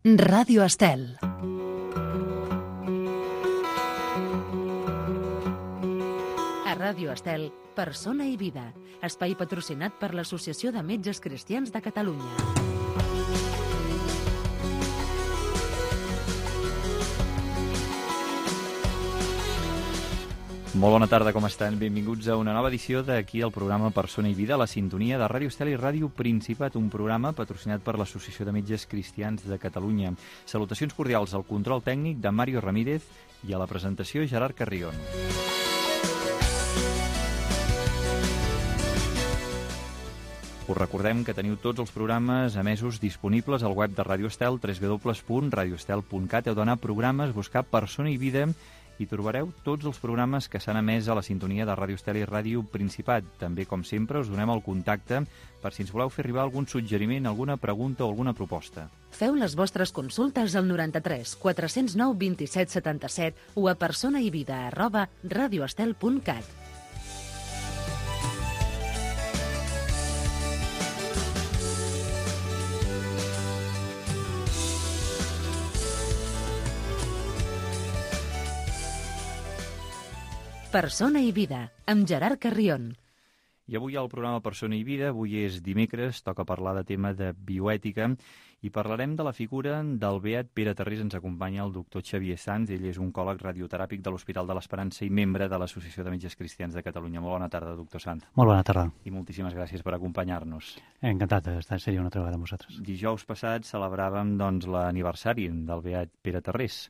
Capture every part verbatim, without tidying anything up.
Ràdio Estel. A Ràdio Estel, Persona i Vida, espai patrocinat per l'Associació de Metges Cristians de Catalunya. Molt bona tarda, com estan? Benvinguts a una nova edició d'aquí el programa Persona i Vida, a la sintonia de Ràdio Estel i Ràdio Principat, un programa patrocinat per l'Associació de Metges Cristians de Catalunya. Salutacions cordials al control tècnic de Mario Ramírez i a la presentació Gerard Carrion. Us recordem que teniu tots els programes emesos disponibles al web de Ràdio Estel, w w w punt radio estel punt cat. Heu d'anar a programes, buscar Persona i Vida i trobareu tots els programes que s'han emès a la sintonia de Ràdio Estel i Ràdio Principat. També, com sempre, us donem el contacte per si ens voleu fer arribar algun suggeriment, alguna pregunta o alguna proposta. Feu les vostres consultes al noranta-tres quatre zero nou vint-i-set setanta-set o a personaivida arroba radioestel punt cat. Persona i Vida, amb Gerard Carrion. I avui al programa Persona i Vida, avui és dimecres, toca parlar de tema de bioètica i parlarem de la figura del beat Pere Tarrés. Ens acompanya el doctor Xavier Sanz, ell és oncòleg radioteràpic de l'Hospital de l'Esperança i membre de l'Associació de Metges Cristians de Catalunya. Molt bona tarda, doctor Sanz. Molt bona tarda. I moltíssimes gràcies per acompanyar-nos. Encantat d'estar seria una altra vegada amb vosaltres. Dijous passat celebràvem doncs, l'aniversari del beat Pere Tarrés.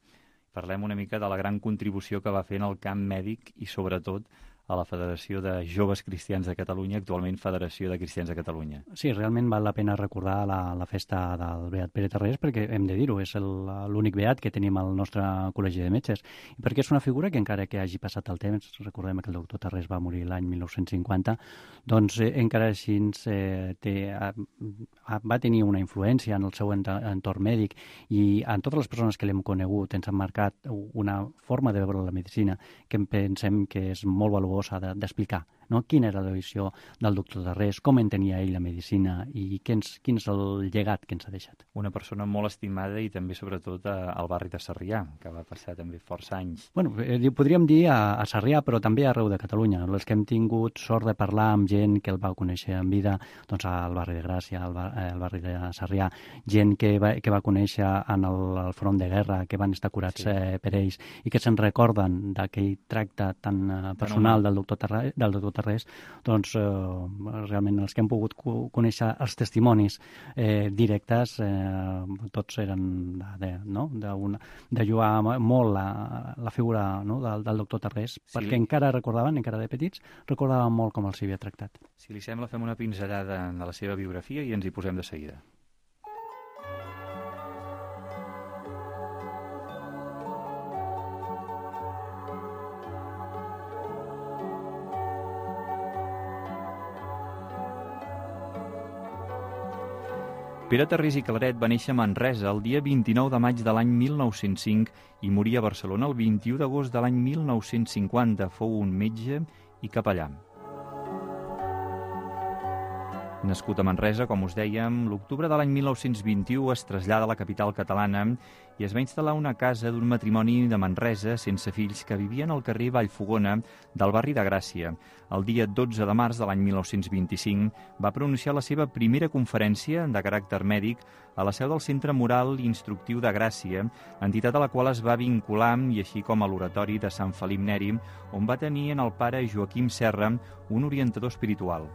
Parlem una mica de la gran contribució que va fer en el camp mèdic i, sobretot, a la Federació de Joves Cristians de Catalunya, actualment Federació de Cristians de Catalunya. Sí, realment val la pena recordar la, la festa del beat Pere Tarrés, perquè hem de dir-ho, és l'únic beat que tenim al nostre col·legi de metges, i perquè és una figura que encara que hagi passat el temps, recordem que el doctor Tarrés va morir l'any mil nou-cents cinquanta, doncs eh, encara així eh, té, a, a, va tenir una influència en el seu entorn mèdic i en totes les persones que l'hem conegut ens han marcat una forma de veure la medicina que pensem que és molt valuosa d'explicar, no? Quina era la visió del doctor Tarrés, com entenia ell la medicina i quin, quin és el llegat que ens ha deixat. Una persona molt estimada i també, sobretot, al barri de Sarrià, que va passar també força anys. Bueno, eh, podríem dir a, a Sarrià, però també arreu de Catalunya. Els que hem tingut sort de parlar amb gent que el va conèixer en vida, doncs al barri de Gràcia, al, bar, al barri de Sarrià, gent que va, que va conèixer en el, el front de guerra, que van estar curats sí. eh, per ells i que se'n recorden d'aquell tracte tan eh, personal del doctor Tarrés, del doctor Tarrés, doncs eh, realment els que hem pogut conèixer els testimonis eh, directes, eh, tots eren de, no? de, una, de jugar molt la, la figura no? del, del doctor Tarrés, sí. perquè encara recordaven, encara de petits, recordaven molt com els havia tractat. Si li sembla, fem una pinzellada de la seva biografia i ens hi posem de seguida. Pere Tarrés i Claret va néixer a Manresa el dia vint-i-nou de maig de l'any mil nou-cents cinc i moria a Barcelona el vint-i-u d'agost de l'any mil nou-cents cinquanta. Fou un metge i capellà. Nascut a Manresa, com us dèiem, l'octubre de l'any mil nou-cents vint-i-u es trasllada a la capital catalana i es va instal·lar una casa d'un matrimoni de Manresa sense fills que vivien al carrer Vallfogona del barri de Gràcia. El dia dotze de març de l'any mil nou-cents vint-i-cinc va pronunciar la seva primera conferència de caràcter mèdic a la seu del Centre Moral i Instructiu de Gràcia, entitat a la qual es va vincular, i així com a l'oratori de Sant Felip Neri, on va tenir en el pare Joaquim Serra, un orientador espiritual.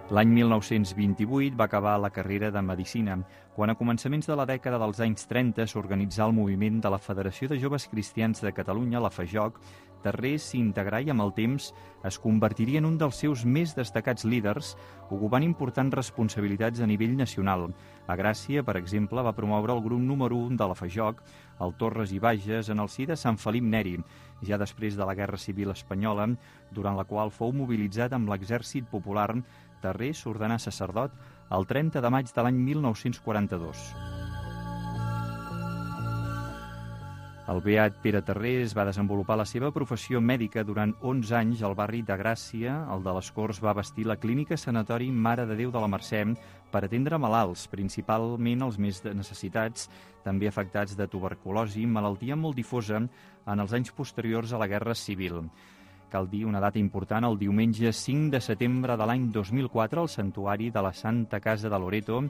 L'any mil nou-cents vint-i-vuit va acabar la carrera de Medicina, quan a començaments de la dècada dels anys trenta s'organitzà el moviment de la Federació de Joves Cristians de Catalunya, la FAJOC. Tarrés s'hi integrà i amb el temps es convertiria en un dels seus més destacats líders, ocupant importants responsabilitats a nivell nacional. A Gràcia, per exemple, va promoure el grup número un de la FAJOC, el Torres i Bages, en el si de Sant Felip Neri, ja després de la Guerra Civil Espanyola, durant la qual fou mobilitzat amb l'Exèrcit Popular. Tarrés s'ordenà sacerdot el trenta de maig de l'any mil nou-cents quaranta-dos. El beat Pere Tarrés va desenvolupar la seva professió mèdica durant onze anys al barri de Gràcia. El de les Corts va bastir la clínica sanatori Mare de Déu de la Mercè, per atendre malalts, principalment els més necessitats, també afectats de tuberculosi, malaltia molt difosa en els anys posteriors a la Guerra Civil. Cal dir una data important, el diumenge cinc de setembre de l'any dos mil quatre, al santuari de la Santa Casa de Loreto,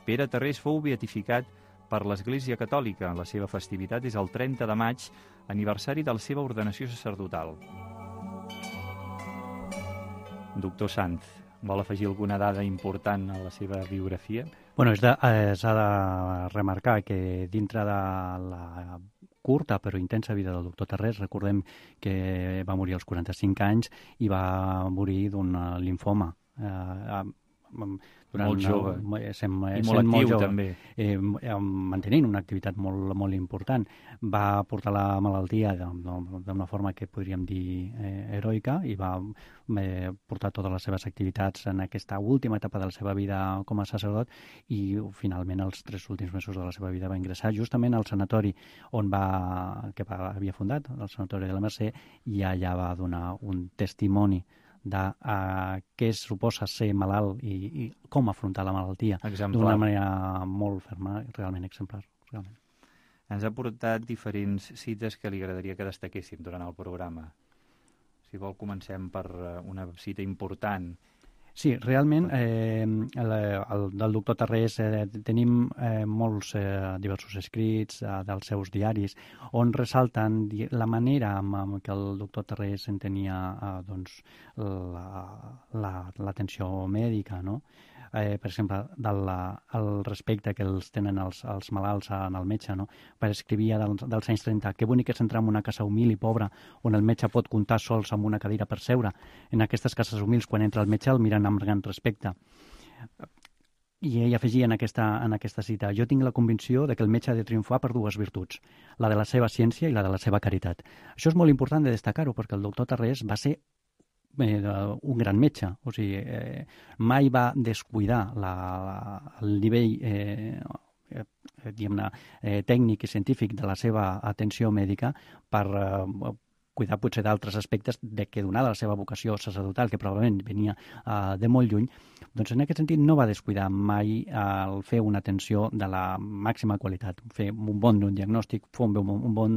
Pere Tarrés fou beatificat per l'Església Catòlica. La seva festivitat és el trenta de maig, aniversari de la seva ordenació sacerdotal. Doctor Sanz, vol afegir alguna dada important a la seva biografia? Bueno, s'ha de, eh, de remarcar que dintre de la curta però intensa vida del doctor Tarrés, recordem que va morir als quaranta-cinc anys i va morir d'un limfoma. Eh, durant molt jove una, sem, i molt actiu molt jove, també eh, mantenint una activitat molt, molt important. Va portar la malaltia d'una forma que podríem dir eh, heroica i va eh, portar totes les seves activitats en aquesta última etapa de la seva vida com a sacerdot i finalment els tres últims mesos de la seva vida va ingressar justament al sanatori on va, que va, havia fundat, el sanatori de la Mercè, i allà va donar un testimoni de uh, què suposa ser malalt i, i com afrontar la malaltia d'una manera molt ferma, realment exemplar. Realment. Ens ha portat diferents cites que li agradaria que destaquéssim durant el programa. Si vol, comencem per una cita important. Sí, realment, eh, el, el, del doctor Tarrés eh, tenim eh, molts eh, diversos escrits eh, dels seus diaris on ressalten la manera amb, amb què el doctor Tarrés entenia eh, doncs, l'atenció la, la, mèdica, no? Eh, per exemple, del el respecte que els tenen els, els malalts en el metge, no? Per escrivia dels, dels anys trenta, que bonic és entrar en una casa humil i pobra on el metge pot comptar sols amb una cadira per seure. En aquestes cases humils, quan entra el metge, el miren amb gran respecte. I ell afegia en aquesta, en aquesta cita: jo tinc la convicció de que el metge ha de triomfar per dues virtuts, la de la seva ciència i la de la seva caritat. Això és molt important de destacar-ho, perquè el doctor Tarrés va ser Eh, un gran metge, o sigui, eh, mai va descuidar la, la, el nivell eh, eh, diguem-ne, eh, tècnic i científic de la seva atenció mèdica per eh, cuidar potser d'altres aspectes de que donada la seva vocació sacerdotal, que probablement venia eh, de molt lluny, doncs en aquest sentit no va descuidar mai el fer una atenció de la màxima qualitat, fer un bon diagnòstic, fer un bon, un bon,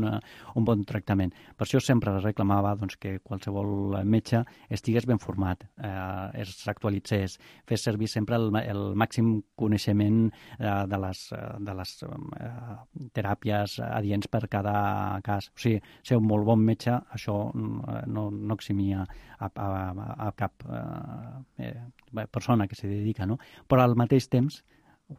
un bon tractament. Per això sempre reclamava doncs, que qualsevol metge estigués ben format, eh, es actualitzés, fes servir sempre el, el màxim coneixement eh, de les, de les eh, teràpies adients per cada cas. O sigui, ser un molt bon metge, això no, no eximia a, a, a cap eh, persona que s'hi dedica, no? Però al mateix temps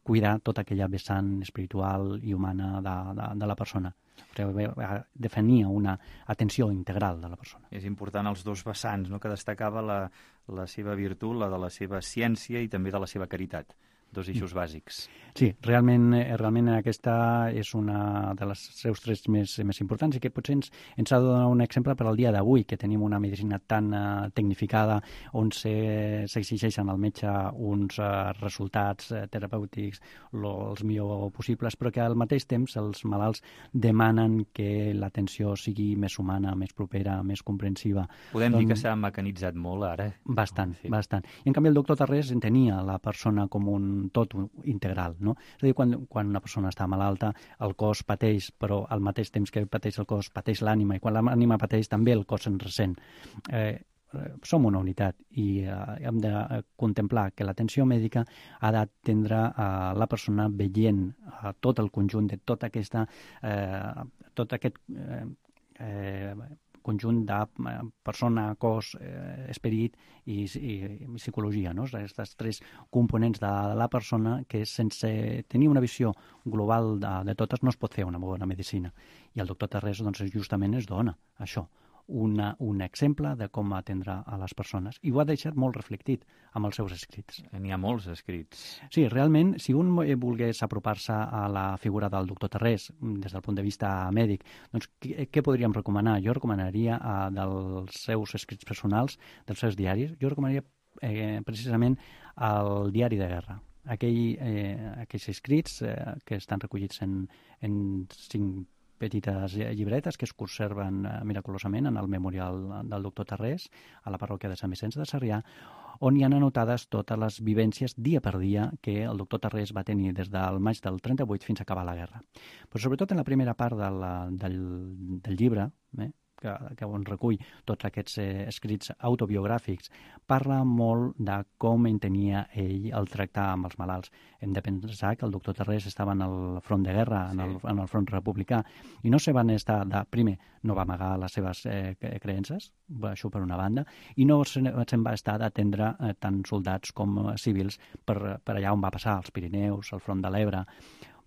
cuidar tota aquella vessant espiritual i humana de, de, de la persona. Definia una atenció integral de la persona. És important els dos vessants, no?, que destacava la, la seva virtut, la de la seva ciència i també de la seva caritat. Dos eixos bàsics. Sí, realment, realment aquesta és una de les seus trets més, més importants i que potser ens, ens ha de donar un exemple per al dia d'avui, que tenim una medicina tan uh, tecnificada on s'exigeixen al metge uns uh, resultats uh, terapèutics lo, els millor possibles, però que al mateix temps els malalts demanen que l'atenció sigui més humana, més propera, més comprensiva. Podem doncs, dir que s'ha mecanitzat molt ara. Bastant, sí. bastant. I en canvi el doctor Tarrés entenia la persona com un tot integral, no? És a dir, quan, quan una persona està malalta, el cos pateix, però al mateix temps que pateix el cos, pateix l'ànima, i quan l'ànima pateix també el cos se'n ressent. Eh, som una unitat i eh, hem de contemplar que l'atenció mèdica ha d'atendre a la persona veient a tot el conjunt de tota aquesta, eh, tot aquest eh, eh, conjunt de persona, cos, eh, esperit i, i, i psicologia, no? Aquests tres components de la persona que sense tenir una visió global de, de totes no es pot fer una bona medicina. I el doctor Tarrés doncs, justament es dona això, una, un exemple de com atendre a les persones. I ho ha deixat molt reflectit amb els seus escrits. N'hi ha molts escrits. Sí, realment, si un volgués apropar-se a la figura del doctor Tarrés des del punt de vista mèdic, doncs què, què podríem recomanar? Jo recomanaria uh, dels seus escrits personals, dels seus diaris, jo recomanaria eh, precisament el diari de guerra. Aquell, eh, aquells escrits eh, que estan recollits en, en cinc petites llibretes que es conserven eh, miraculosament en el memorial del doctor Tarrés, a la parròquia de Sant Vicenç de Sarrià, on hi han anotades totes les vivències dia per dia que el doctor Tarrés va tenir des del maig del trenta-vuit fins a acabar la guerra. Però sobretot en la primera part de la, del, del llibre, eh, que, que on recull tots aquests eh, escrits autobiogràfics, parla molt de com entenia ell el tractar amb els malalts. Hem de pensar que el doctor Tarrés estava en el front de guerra, sí. en, el, en el front republicà, i no se van estar de... Primer, no va amagar les seves eh, creences, això per una banda, i no se'n se va estar d'atendre eh, tant soldats com eh, civils per, per allà on va passar, als Pirineus, al front de l'Ebre.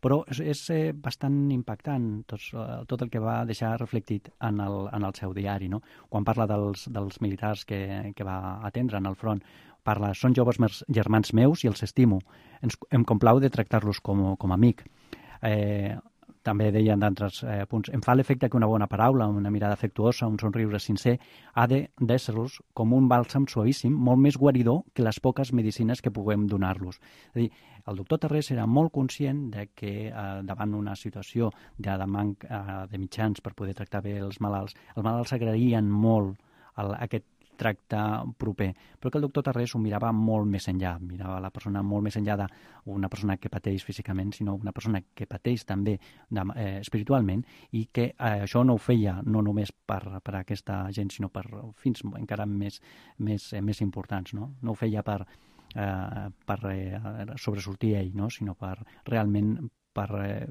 Però és, és eh, bastant impactant tot, tot el que va deixar reflectit en el, en el seu diari, no? Quan parla dels, dels militars que, que va atendre en el front, parla, són joves germans meus i els estimo, Ens, em complau de tractar-los com, com a amic. Eh, també deien d'altres eh, punts, em fa l'efecte que una bona paraula, una mirada afectuosa, un somriure sincer, ha d'ésser-los com un bàlsam suavíssim, molt més guaridor que les poques medicines que puguem donar-los. És a dir, el doctor Tarrés era molt conscient de que eh, davant una situació de, de manc eh, de mitjans per poder tractar bé els malalts, els malalts agraïen molt el, aquest tracte proper, però que el doctor Tarrés ho mirava molt més enllà, mirava la persona molt més enllà d'una persona que pateix físicament, sinó una persona que pateix també de, eh, espiritualment, i que eh, això no ho feia no només per, per aquesta gent, sinó per fins encara més, més, eh, més importants, no? No ho feia per, eh, per eh, sobresortir ell, no? Sinó per realment per eh,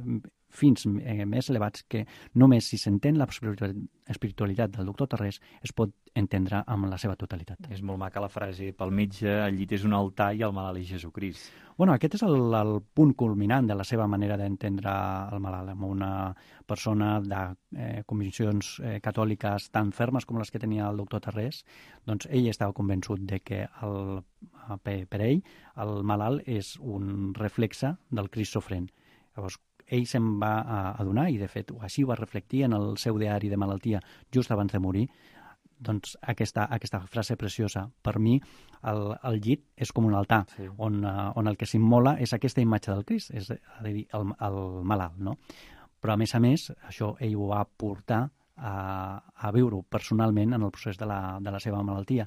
fins eh, més elevats que només si s'entén la espiritualitat del doctor Tarrés es pot entendre amb la seva totalitat. És molt maca la frase, pel metge el llit és un altar i el malalt és Jesucrist. Bueno, aquest és el, el punt culminant de la seva manera d'entendre el malalt, amb una persona de eh, conviccions eh, catòliques tan fermes com les que tenia el doctor Tarrés. Doncs ell estava convençut de que el, per, per ell el malalt és un reflexe del Crist sofrent. Llavors, ell se'n va adonar, i de fet així ho va reflectir en el seu diari de malaltia just abans de morir, doncs aquesta, aquesta frase preciosa. Per mi el, el llit és com un altar, sí. on, on el que s'immola és aquesta imatge del Crist, és a dir, el, el malalt, no? Però a més a més, això ell ho va portar a, a viure-ho personalment en el procés de la, de la seva malaltia,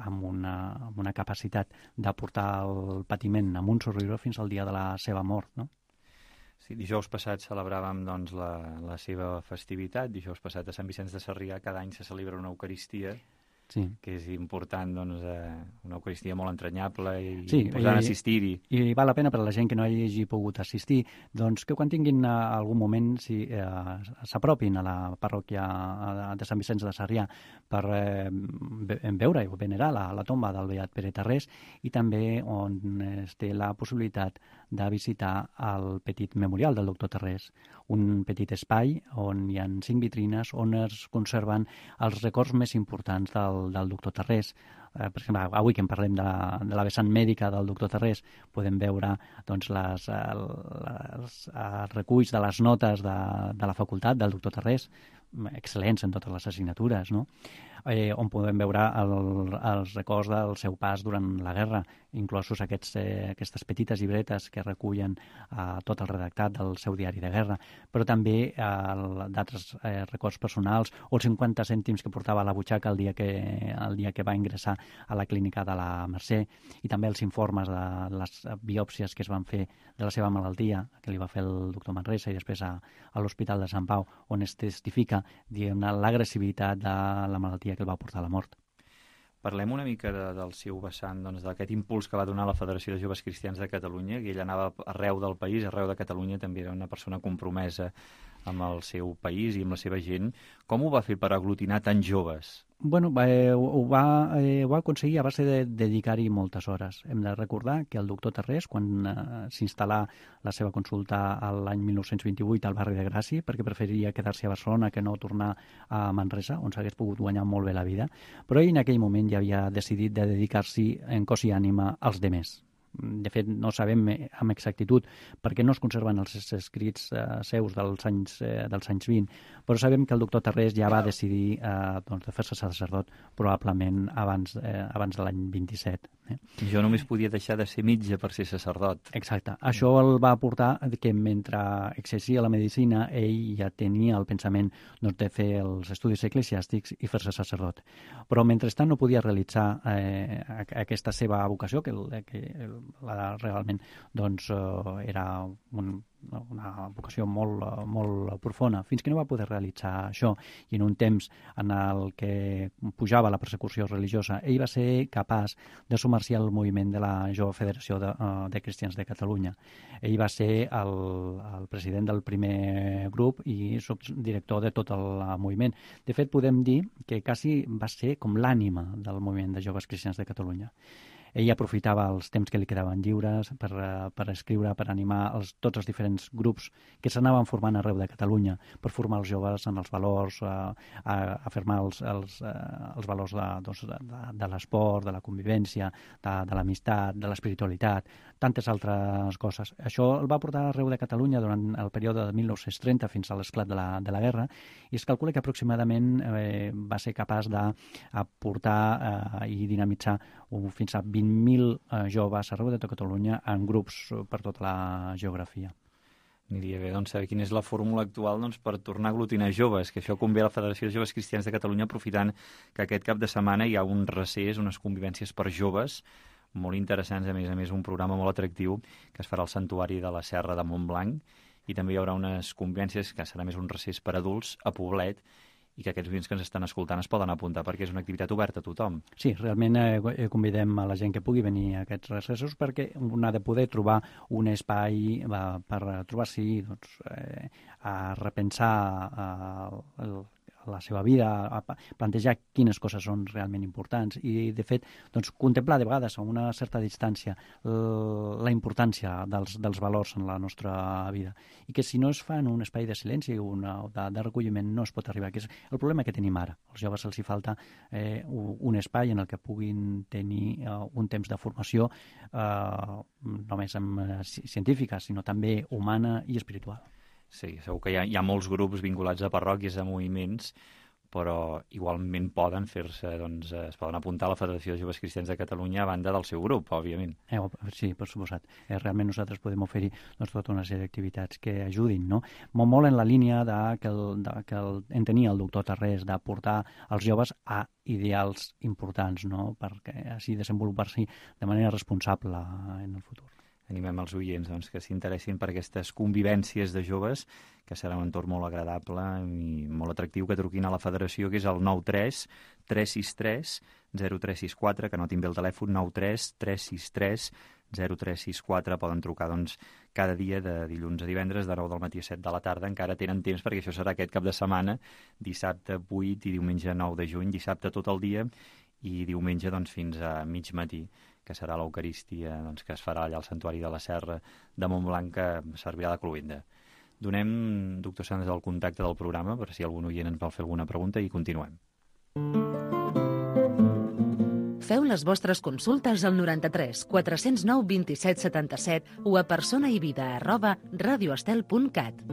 amb una, amb una capacitat de portar el patiment amb un somriure fins al dia de la seva mort, no? Sí, dijous passat celebràvem doncs, la, la seva festivitat. Dijous passat a Sant Vicenç de Sarrià cada any se celebra una Eucaristia, sí. que és important, doncs, eh, una Eucaristia molt entranyable i sí, posant assistir-hi. I val la pena per a la gent que no hagi pogut assistir, doncs que quan tinguin uh, algun moment si, eh, s'apropin a la parròquia de Sant Vicenç de Sarrià per eh, veure i venerar la, la tomba del beat Pere Tarrés, i també on es té la possibilitat de visitar el petit memorial del doctor Tarrés, un petit espai on hi ha cinc vitrines on es conserven els records més importants del, del doctor Tarrés. Eh, per exemple, avui que en parlem de la, de la vessant mèdica del doctor Tarrés, podem veure doncs, les, les, els reculls de les notes de, de la facultat del doctor Tarrés, excel·lents en totes les assignatures, no? Eh, on podem veure el, els records del seu pas durant la guerra, inclosos aquests, eh, aquestes petites llibretes que recullen eh, tot el redactat del seu diari de guerra, però també eh, d'altres eh, records personals, o els cinquanta cèntims que portava a la butxaca el dia que, el dia que va ingressar a la clínica de la Mercè, i també els informes de les biòpsies que es van fer de la seva malaltia, que li va fer el doctor Manresa, i després a, a l'Hospital de Sant Pau, on es testifica l'agressivitat de la malaltia que el va portar a la mort. Parlem una mica de, del seu vessant, doncs, d'aquest impuls que va donar la Federació de Joves Cristians de Catalunya, que ell anava arreu del país, arreu de Catalunya, també era una persona compromesa amb el seu país i amb la seva gent. Com ho va fer per aglutinar tants joves? Bueno, eh, ho, va, eh, ho va aconseguir a base de dedicar-hi moltes hores. Hem de recordar que el doctor Tarrés, quan eh, s'instal·là la seva consulta l'any mil nou-cents vint-i-vuit al barri de Gràcia, perquè preferiria quedar-se a Barcelona que no tornar a Manresa, on s'hagués pogut guanyar molt bé la vida, però ell en aquell moment ja havia decidit de dedicar-s'hi en cos i ànima als demés. de fet no sabem amb exactitud perquè no es conserven els escrits eh, seus dels anys, eh, dels anys vint, però sabem que el doctor Tarrés ja va decidir eh, doncs, de fer-se sacerdot probablement abans, eh, abans de l'any vint-i-set. Eh? Jo només podia deixar de ser metge per ser sacerdot. Exacte. Això el va portar que mentre exercia la medicina ell ja tenia el pensament doncs, de fer els estudis eclesiàstics i fer-se sacerdot. Però mentrestant no podia realitzar eh, aquesta seva vocació, que, que la, realment doncs, eh, era un, una vocació molt, molt profunda, fins que no va poder realitzar això. I en un temps en el que pujava la persecució religiosa, ell va ser capaç de sumar-s'hi al moviment de la Jove Federació de, de Cristians de Catalunya. Ell va ser el, el president del primer grup i subdirector de tot el moviment. De fet, podem dir que quasi va ser com l'ànima del moviment de Joves Cristians de Catalunya. Ell aprofitava els temps que li quedaven lliures per, per escriure, per animar els, tots els diferents grups que s'anaven formant arreu de Catalunya, per formar els joves en els valors, a, a afirmar els, els, els valors de, doncs, de, de l'esport, de la convivència, de, de l'amistat, de l'espiritualitat, tantes altres coses. Això el va portar arreu de Catalunya durant el període de mil nou-cents trenta fins a l'esclat de la, de la guerra, i es calcula que aproximadament eh, va ser capaç d'aportar eh, i dinamitzar un, fins a vint mil eh, joves arreu de tota Catalunya en grups per tota la geografia. Aniria bé doncs, saber quina és la fórmula actual doncs, per tornar a aglutinar joves, que això convé a la Federació de Joves Cristians de Catalunya, aprofitant que aquest cap de setmana hi ha un recés, unes convivències per joves molt interessants, a més a més un programa molt atractiu que es farà al Santuari de la Serra de Montblanc, i també hi haurà unes convivències que serà més un recés per adults a Poblet, i que aquests oients que ens estan escoltant es poden apuntar perquè és una activitat oberta a tothom. Sí, realment eh, convidem a la gent que pugui venir a aquests recessos perquè un ha de poder trobar un espai eh, per trobar-s'hi, doncs, eh, a repensar eh, el la seva vida, a plantejar quines coses són realment importants i, de fet, doncs, contemplar de vegades a una certa distància la importància dels, dels valors en la nostra vida i que si no es fa en un espai de silenci o de, de recolliment no es pot arribar, que és el problema que tenim ara. Als joves els hi falta eh, un espai en el que puguin tenir eh, un temps de formació eh, només amb, eh, científica, sinó també humana i espiritual. Sí, segur que hi ha, hi ha molts grups vinculats a parròquies, a moviments, però igualment poden fer-se, doncs, es poden apuntar a la Federació de Joves Cristians de Catalunya a banda del seu grup, òbviament. Eh, sí, per suposat. Eh, realment nosaltres podem oferir doncs, tota una sèrie d'activitats que ajudin, no? Molt, molt en la línia de que, el, de, que el, en tenia el doctor Tarrés, de portar els joves a ideals importants, no? Perquè així desenvolupar-s'hi de manera responsable en el futur. Animem els oients doncs, que s'interessin per aquestes convivències de joves, que serà un entorn molt agradable i molt atractiu, que truquin a la federació, que és el nou tres tres sis tres zero tres sis quatre, que anotin bé el telèfon, nou tres tres sis tres zero tres sis quatre. Poden trucar doncs, cada dia de dilluns a divendres, de nou del matí a set de la tarda. Encara tenen temps perquè això serà aquest cap de setmana, dissabte vuit i diumenge nou de juny, dissabte tot el dia i diumenge doncs, fins a mig matí, que serà l'Eucarístia doncs, que es farà allà al Santuari de la Serra de Montblanc, que servirà de cloenda. Donem, doctor Sanders, el contacte del programa per si algun oient ens vol fer alguna pregunta i continuem. Feu les vostres consultes al noranta-tres quatre cents nou vint-i-set setanta-set o a personaivida arroba radioestel punt cat.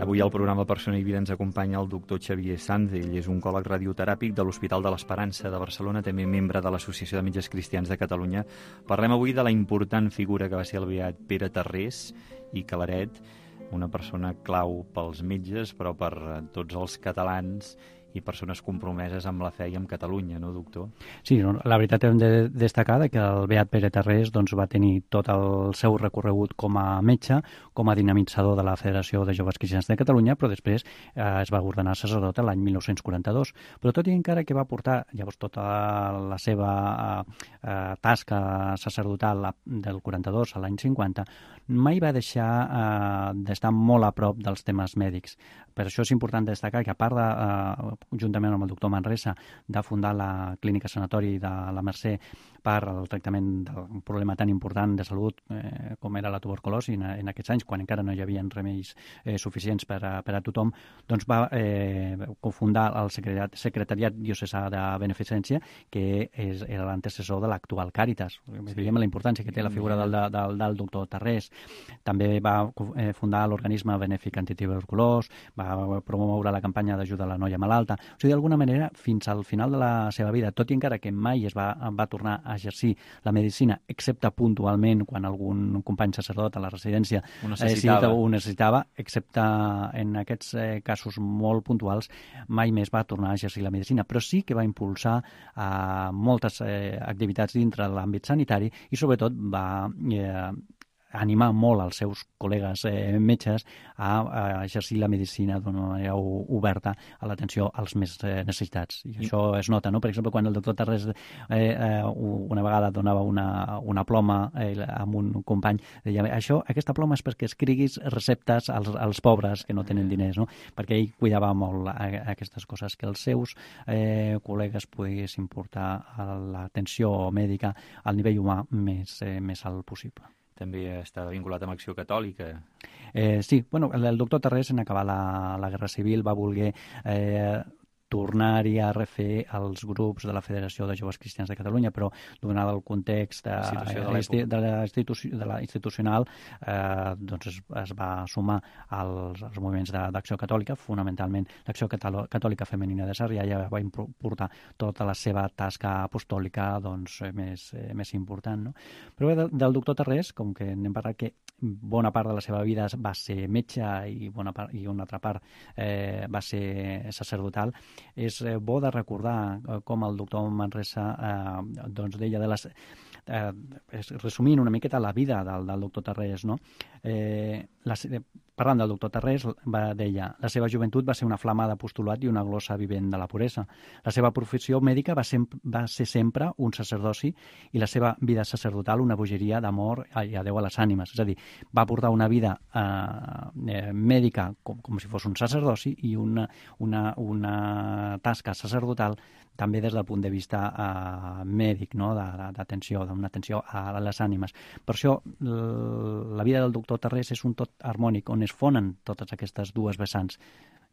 Avui al programa Persona i Vida ens acompanya el doctor Xavier Sanz. Ell és oncòleg radioteràpic de l'Hospital de l'Esperança de Barcelona, també membre de l'Associació de Metges Cristians de Catalunya. Parlem avui de la important figura que va ser el beat Pere Tarrés i Claret, una persona clau pels metges, però per tots els catalans i persones compromeses amb la fe i amb Catalunya, no, doctor? Sí, no, la veritat hem de destacar que el Beat Pere Tarrés doncs, va tenir tot el seu recorregut com a metge, com a dinamitzador de la Federació de Joves Cristians de Catalunya, però després eh, es va ordenar sacerdot l'any mil nou-cents quaranta-dos. Però tot i encara que va portar llavors tota la seva eh, tasca sacerdotal del quaranta-dos a l'any cinquanta, mai va deixar eh, d'estar molt a prop dels temes mèdics. Per això és important destacar que, a part de, eh, juntament amb el doctor Manresa, de fundar la clínica sanatori de la Mercè per al tractament d'un problema tan important de salut eh, com era la tuberculosi en, en aquests anys, quan encara no hi havia remeis eh, suficients per a, per a tothom, doncs va eh, cofundar el secretariat, secretariat diocesà de beneficència, que és, era l'antecessor de l'actual Càritas. Sí. Veiem la importància que té la figura del, del, del doctor Tarrés. També va eh, fundar l'organisme benèfic antituberculós, va promoure la campanya d'ajuda a la noia malalta. O sigui, d'alguna manera, fins al final de la seva vida, tot i encara que mai es va, va tornar a exercir la medicina, excepte puntualment quan algun company sacerdot a la residència ho necessitava, eh, ho necessitava, excepte en aquests eh, casos molt puntuals, mai més va tornar a exercir la medicina, però sí que va impulsar eh, moltes eh, activitats dintre de l'àmbit sanitari i sobretot va eh, animar molt els seus col·legues eh, metges a, a exercir la medicina d'una manera oberta a l'atenció als més eh, necessitats. I això es nota, no? Per exemple, quan el doctor Tarrés eh, eh, una vegada donava una, una ploma eh, amb un company, deia, això, aquesta ploma és perquè escriguis receptes als, als pobres que no tenen diners, no? Perquè ell cuidava molt a, a aquestes coses, que els seus eh, col·legues poguessin portar l'atenció mèdica al nivell humà més, eh, més alt possible. També està vinculat amb Acció Catòlica. Eh, sí, bueno, el, el doctor Tarrés, en acabar la, la Guerra Civil, va voler eh, tornar-hi a refer els grups de la Federació de Joves Cristians de Catalunya, però donat el context de, de, de, la institució, de la institucional, eh, doncs es, es va sumar als, als moviments d'Acció Catòlica, fonamentalment l'Acció Catòlica Femenina de Sarrià, ja va portar tota la seva tasca apostòlica doncs, més, eh, més important. No? Però bé, del, del doctor Tarrés, com que n'hem parlat que bona part de la seva vida va ser metge i, bona part, i una altra part eh, va ser sacerdotal, és eh, bo de recordar eh, com el doctor Manresa eh, doncs deia de les... Eh, resumint una miqueta la vida del, del doctor Tarrés, no? Eh, la, parlant del doctor Tarrés, va, deia, la seva joventut va ser una flama d'apostolat i una glossa vivent de la puresa. La seva professió mèdica va ser, va ser sempre un sacerdoci i la seva vida sacerdotal una bogeria d'amor i adeu a les ànimes. És a dir, va portar una vida eh, mèdica com, com si fos un sacerdoci i una, una, una tasca sacerdotal també des del punt de vista eh, mèdic, no? d'atenció, d'una atenció a les ànimes. Per això la vida del doctor Tarrés és un tot harmònic, on es fonen totes aquestes dues vessants.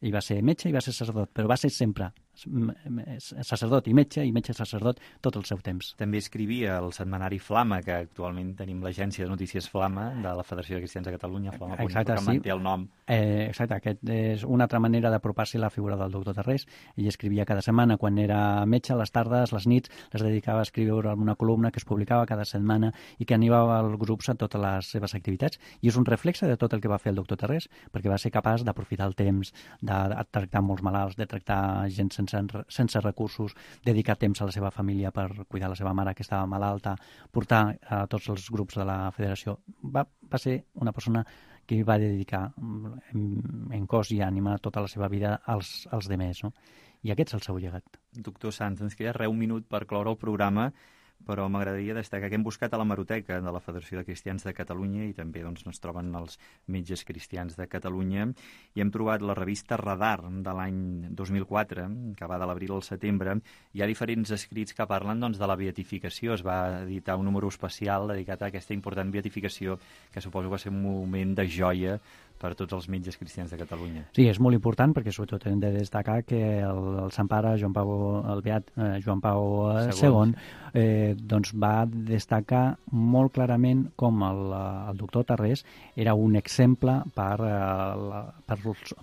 I va ser metge i va ser sacerdot, però va ser sempre sacerdot i metge i metge sacerdot tot el seu temps. També escrivia el setmanari Flama, que actualment tenim l'agència de notícies Flama de la Federació de Cristians de Catalunya, Flama, exacte, que sí. manté el nom. Eh, exacte, aquest és una altra manera d'apropar-se a la figura del doctor Tarrés. Ell escrivia cada setmana, quan era metge, les tardes, les nits, les dedicava a escriure una columna que es publicava cada setmana i que animava els grups a totes les seves activitats. I és un reflexe de tot el que va fer el doctor Tarrés, perquè va ser capaç d'aprofitar el temps, de de tractar molts malalts, de tractar gent sense, sense recursos, dedicar temps a la seva família per cuidar la seva mare que estava malalta, portar a tots els grups de la federació. Va, va ser una persona que va dedicar en, en cos i ànima tota la seva vida als, als demés, no? I aquest és el seu llegat. Doctor Sanz, ens queda res un minut per cloure el programa, però m'agradaria destacar que hem buscat a la Hemeroteca de la Federació de Cristians de Catalunya i també doncs, ens troben els metges cristians de Catalunya i hem trobat la revista Radar de l'any dos mil quatre, que va de l'abril al setembre. Hi ha diferents escrits que parlen doncs, de la beatificació. Es va editar un número especial dedicat a aquesta important beatificació que suposo que va ser un moment de joia per tots els metges cristians de Catalunya. Sí, és molt important perquè sobretot hem de destacar que el, el Sant Pare Joan Pau, el beat eh, Joan Pau segon eh, doncs va destacar molt clarament com el, el doctor Tarrés era un exemple per, eh, per,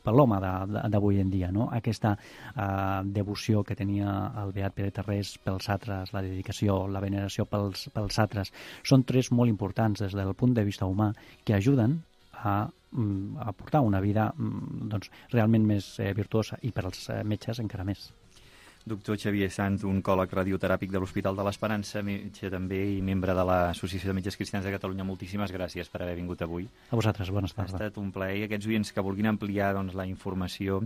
per l'home d'avui en dia, no? Aquesta eh, devoció que tenia el beat Pere Tarrés pels satres, la dedicació, la veneració pels, pels satres, són tres molt importants des del punt de vista humà que ajuden a a portar una vida doncs, realment més eh, virtuosa, i per als eh, metges encara més. Doctor Xavier Sanz, oncòleg radioteràpic de l'Hospital de l'Esperança, metge també i membre de l'Associació de Metges Cristians de Catalunya, moltíssimes gràcies per haver vingut avui. A vosaltres, bones tardes. Ha estat un plaer, i aquests oients que vulguin ampliar doncs, la informació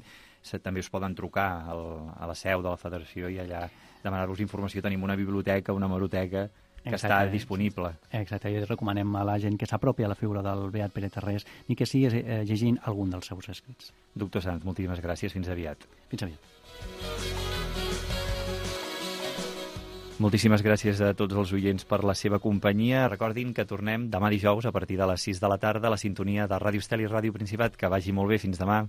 també us poden trucar al, a la seu de la Federació i allà demanar-vos informació. Tenim una biblioteca, una hemeroteca que Exacte, està disponible. Exacte, i recomanem a la gent que s'apropi a la figura del Beat Pere Tarrés i que sigui eh, llegint algun dels seus escrits. Doctor Sanz, moltíssimes gràcies. Fins aviat. Fins aviat. Moltíssimes gràcies a tots els oients per la seva companyia. Recordin que tornem demà dijous a partir de les sis de la tarda a la sintonia de Ràdio Estel i Ràdio Principat. Que vagi molt bé. Fins demà.